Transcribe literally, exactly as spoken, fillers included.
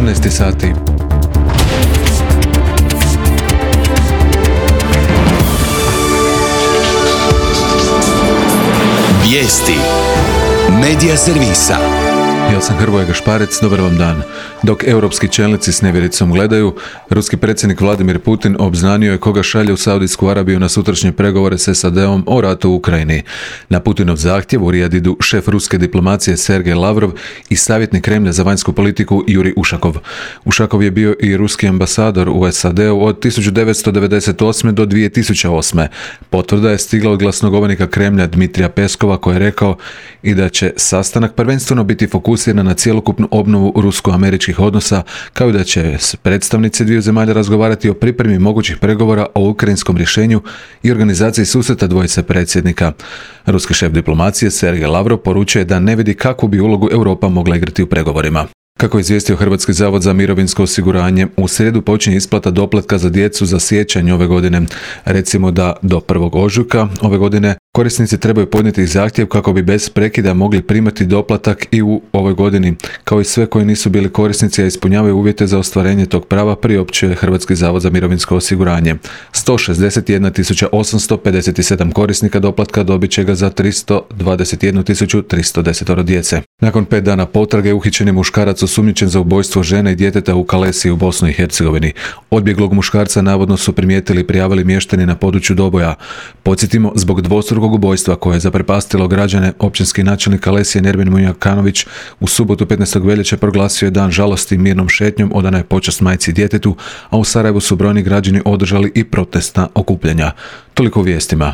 dvanaest sati. Vijesti Medija servisa. Ja sam Hrvoje Gašparec, dobar vam dan. Dok europski čelnici s nevjericom gledaju, ruski predsjednik Vladimir Putin obznanio je koga šalje u Saudijsku Arabiju na sutrašnje pregovore s S A D-om o ratu u Ukrajini. Na Putinov zahtjev u Rijad idu šef ruske diplomacije Sergej Lavrov i savjetnik Kremlja za vanjsku politiku Jurij Ušakov. Ušakov je bio i ruski ambasador u S A D-u od tisuću devetsto devedeset osme do dvije tisuće osme. Potvrda je stigla od glasnogovornika Kremlja Dmitrija Peskova koji je rekao i da će sastanak prvenstveno biti fokusiran na cjelokupnu obnovu rusko-američkih odnosa, kao i da će predstavnici dviju zemalja razgovarati o pripremi mogućih pregovora o ukrajinskom rješenju i organizaciji susreta dvojice predsjednika. Ruski šef diplomacije Sergej Lavrov poručuje da ne vidi kakvu bi ulogu Europa mogla igrati u pregovorima. Kako je izvijestio Hrvatski zavod za mirovinsko osiguranje, u srijedu počinje isplata doplatka za djecu za siječanj ove godine. Recimo da do prvog ožujka ove godine korisnici trebaju podnijeti zahtjev kako bi bez prekida mogli primati doplatak i u ovoj godini, kao i sve koji nisu bili korisnici a ispunjavaju uvjete za ostvarenje tog prava, priopćuje Hrvatski zavod za mirovinsko osiguranje. sto šezdeset jedna tisuća osamsto pedeset sedam korisnika doplatka dobit će ga za tristo dvadeset jednu tisuću tristo deset djece. Nakon pet dana potrage uhićen je muškarac osumnjičen za ubojstvo žene i djeteta u Kalesiji u Bosni i Hercegovini. Odbjeglog muškarca navodno su primijetili i prijavili mještani na području Doboja. Podsjetimo, zbog dvostrukog ubojstva koje je zaprepastilo građane, općinski načelnik Kalesije Nermin Munjakanović u subotu petnaestog veljače proglasio je dan žalosti mirnom šetnjom, odana je počast majci i djetetu, a u Sarajevu su brojni građani održali i protestna okupljanja. Toliko u vijestima.